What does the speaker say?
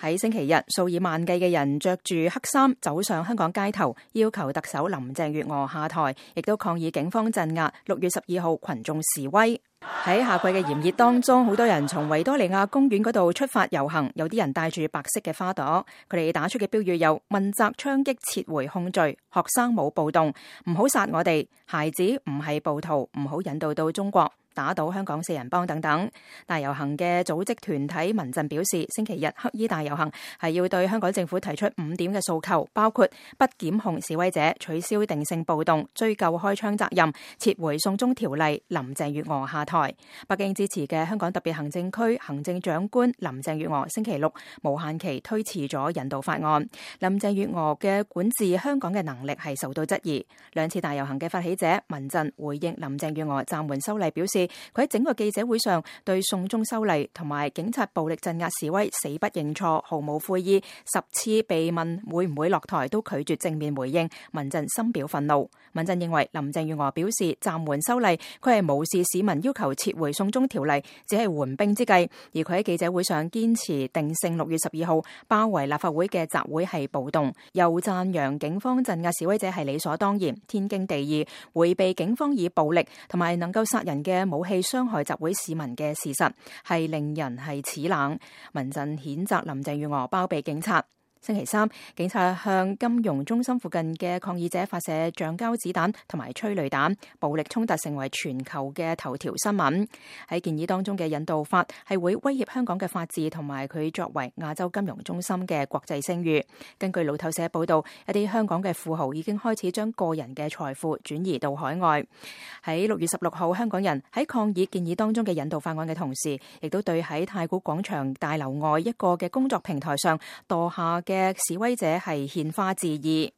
喺星期日，數以萬計嘅人着住黑衫走上香港街頭，要求特首林鄭月娥下台，亦都抗議警方鎮壓6月12號群眾示威。喺夏季嘅炎熱當中，好多人從維多利亞公園嗰度出發遊行，有啲人帶住白色嘅花朵，佢哋打出嘅標語有問責槍擊撤回控罪、學生冇暴動、唔好殺我哋、孩子唔係暴徒、唔好引渡到中國、打倒香港4人幫等等。大遊行嘅組織團體民陣表示，星期日黑衣大遊行係要對香港政府提出5點嘅訴求，包括不檢控示威者、取消定性暴動、追究開槍責任、撤回送中條例、林鄭月娥下台。北京支持嘅香港特別行政區行政長官林鄭月娥星期六無限期推遲咗引渡法案。林鄭月娥嘅管治香港嘅能力係受到質疑。兩次大遊行嘅發起者民陣回應林鄭月娥暫緩修例表示，佢喺整個記者會上對送中修例同埋警察暴力鎮壓示威死不認錯，毫無悔意，10次被問會唔會落台都拒絕正面回應，民陣深表憤怒。民陣認為林鄭月娥表示暫緩修例，佢係無視市民要求撤回送中條例，只係緩兵之計，而佢喺記者會上堅持定性6月12號包圍立法會嘅集會係暴動，又讚揚警方鎮壓示威者係理所當然、天經地義，迴避警方以暴力同埋能夠殺人嘅武器傷害集會市民嘅事實，係令人係齒冷。民陣譴責林鄭月娥包庇警察。星期三，警察向金融中心附近嘅抗議者發射橡膠子彈同埋催淚彈，暴力衝突成為全球嘅頭條新聞。喺建議當中嘅引渡法係會威脅香港嘅法治同埋佢作為亞洲金融中心嘅國際聲譽。根據路透社報道，一啲香港嘅富豪已經開始將個人嘅財富轉移到海外。喺6月16號，香港人喺抗議建議當中嘅引渡法案嘅同時，亦都對喺太古廣場大樓外一個嘅工作平台上墮下嘅示威者係獻花致意。